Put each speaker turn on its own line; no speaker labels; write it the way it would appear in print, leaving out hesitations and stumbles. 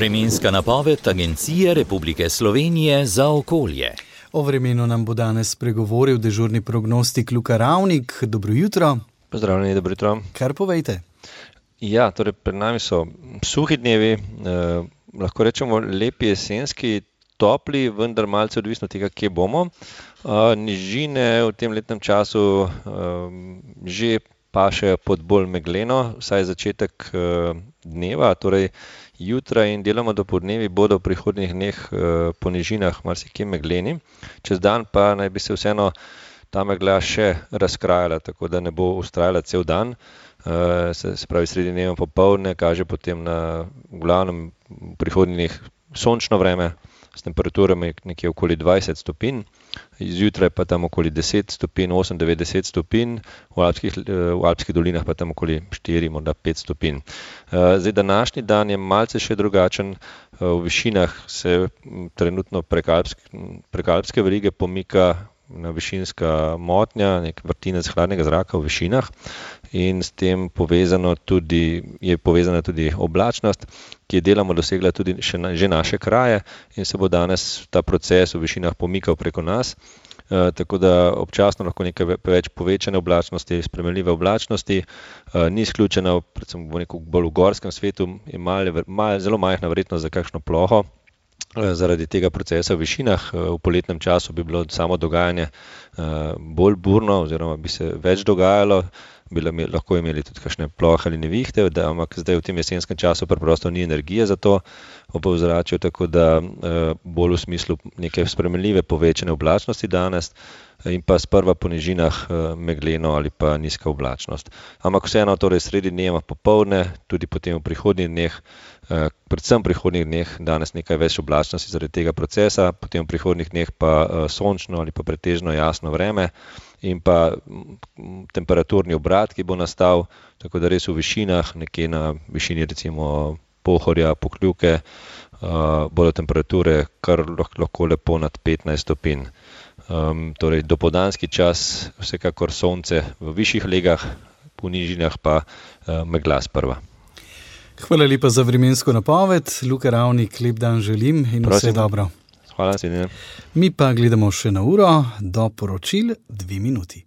Vremenska napoved Agencije Republike Slovenije za okolje.
O vremenu nam bo danes spregovoril dežurni prognostik Luka Ravnik. Dobro jutro.
Pozdravljeni, dobro jutro.
Kar povejte?
Ja, torej pred nami so suhi dnevi, lahko rečemo lepi jesenski, topli, vendar malce odvisno tega, kje bomo. Nižine v tem letnem času že pašejo pod bolj megleno, vsaj začetek dneva, torej jutra in deloma dopoldnevi bodo v prihodnjih dneh po nižinah marsikje megleni. Čez dan pa naj bi se vseeno ta megla še razkrajala, tako da ne bo vztrajala cel dan. Se pravi, sredi dneva popoldne kaže potem na glavnem v prihodnjih dneh sončno vreme s temperaturami nekje okoli 20 stopinj, zjutraj pa tam okoli 10 stopinj, 8-9 stopinj, v alpskih dolinah pa tam okoli 4, morda 5 stopinj. Zdaj, današnji dan je malce še drugačen, v višinah se trenutno prek alpske verige pomika na višinska motnja, nek vrtinec hladnega zraka v višinah in s tem je povezana tudi oblačnost, ki je deloma dosegla tudi že naše kraje in se bo danes ta proces v višinah pomikal preko nas, tako da občasno lahko nekaj več povečane oblačnosti, spremenljive oblačnosti, ni izključena, predvsem v nekem bolj gorskem svetu, je zelo majhna verjetnost za kakšno ploho. Zaradi tega procesa v višinah v poletnem času bi bilo samo dogajanje bolj burno oziroma bi se več dogajalo, lahko imeli tudi kakšne plohe ali nevihte, ampak zdaj v tem jesenskem času preprosto ni energije za to v ozračju, tako da bolj v smislu neke spremenljive povečane oblačnosti danes in pa sprva po nižinah megleno ali pa nizka oblačnost. Ampak vseeno torej sredi dneva popoldne, tudi potem v prihodnjih dneh, predvsem v prihodnjih dneh danes nekaj več oblačnosti zaradi tega procesa, potem v prihodnjih dneh pa sončno ali pa pretežno jasno vreme in pa temperaturni obrat, ki bo nastal, tako da res v višinah, nekje na višini recimo Pohorja, Pokljuke, bodo temperature kar lahko lepo nad 15 stopinj. Torej dopoldanski čas, vsekakor sonce v višjih legah, po nižinah pa megla sprva.
Hvala lepa za vremensko napoved. Luka Ravnik, lep dan želim in vse dobro.
Hvala, sledine.
Mi pa gledamo še na uro, do poročil 2 minuti.